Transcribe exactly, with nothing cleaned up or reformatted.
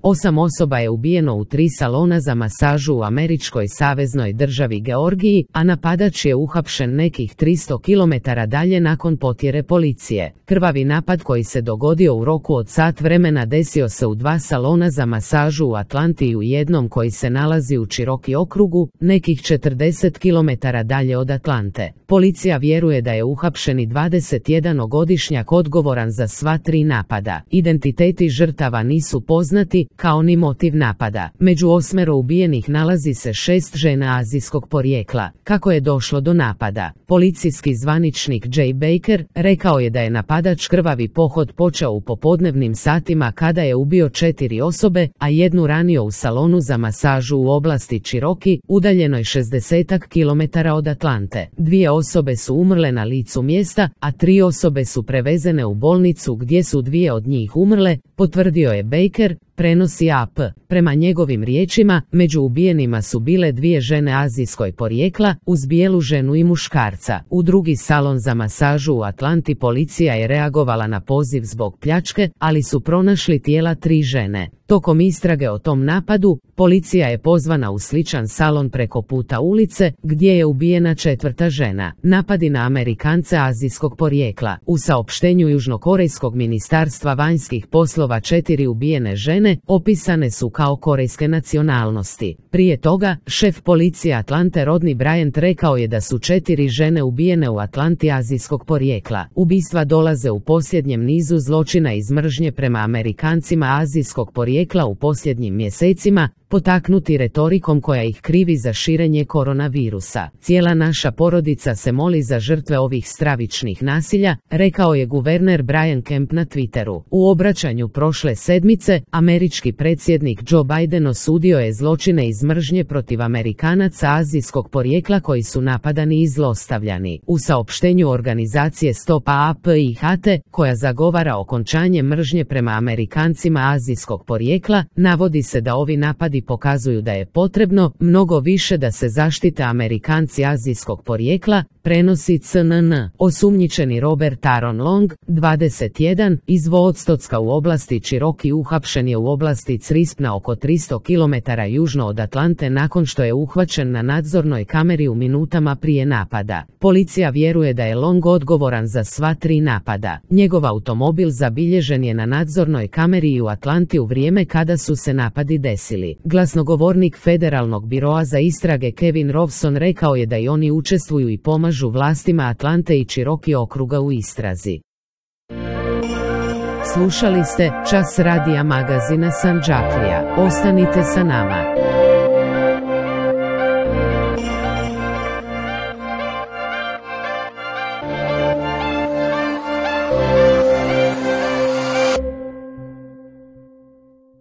Osam osoba je ubijeno u tri salona za masažu u američkoj saveznoj državi Georgiji, a napadač je uhapšen nekih tristo kilometara dalje nakon potjere policije. Krvavi napad koji se dogodio u roku od sat vremena desio se u dva salona za masažu u Atlanti i u jednom koji se nalazi u Cherokee okrugu, nekih četrdeset kilometara dalje od Atlante. Policija vjeruje da je uhapšeni dvadesetjedanaogodišnjak odgovoran za sva tri napada. Identiteti žrtava nisu poznati, kao ni motiv napada. Među osmero ubijenih nalazi se šest žena azijskog porijekla. Kako je došlo do napada? Policijski zvaničnik Jay Baker rekao je da je napadač krvavi pohod počeo u popodnevnim satima kada je ubio četiri osobe, a jednu ranio u salonu za masažu u oblasti Cherokee, udaljenoj šezdeset kilometara od Atlante. Dvije osobe su umrle na licu mjesta, a tri osobe su prevezene u bolnicu gdje su dvije od njih umrle, potvrdio je Baker, prenosi A P. Prema njegovim riječima, među ubijenima su bile dvije žene azijskoj porijekla, uz bijelu ženu i muškarca. U drugi salon za masažu u Atlanti policija je reagovala na poziv zbog pljačke, ali su pronašli tijela tri žene. Tokom istrage o tom napadu, policija je pozvana u sličan salon preko puta ulice, gdje je ubijena četvrta žena. Napadi na Amerikance azijskog porijekla. U saopštenju Južnokorejskog ministarstva vanjskih poslova četiri ubijene žene opisane su kao korejske nacionalnosti. Prije toga, šef policije Atlante Rodney Bryant rekao je da su četiri žene ubijene u Atlanti azijskog porijekla. Ubistva dolaze u posljednjem nizu zločina iz mržnje prema Amerikancima azijskog porijekla u posljednjim mjesecima, potaknuti retorikom koja ih krivi za širenje koronavirusa. Cijela naša porodica se moli za žrtve ovih stravičnih nasilja, rekao je guverner Brian Kemp na Twitteru. U obraćanju prošle sedmice, američki predsjednik Joe Biden osudio je zločine iz mržnje protiv Amerikanaca azijskog porijekla koji su napadani i zlostavljani. U saopštenju organizacije Stop A P I H T, koja zagovara okončanje mržnje prema Amerikancima azijskog porijekla, navodi se da ovi napadi pokazuju da je potrebno mnogo više da se zaštite Amerikanci azijskog porijekla, prenosi C N N. Osumnjičeni Robert Aaron Long, dvadeset jedan, iz Woodstocka u oblasti Cherokee uhapšen je u oblasti Crispna oko tristo kilometara južno od Atlante nakon što je uhvaćen na nadzornoj kameri u minutama prije napada. Policija vjeruje da je Long odgovoran za sva tri napada. Njegov automobil zabilježen je na nadzornoj kameri i u Atlanti u vrijeme kada su se napadi desili. Glasnogovornik Federalnog biroa za istrage Kevin Rovson rekao je da i oni učestvuju i pomažu vlastima Atlante i Cherokee okruga u istrazi. Slušali ste Čas radija magazina Sandžaklija. Ostanite sa nama.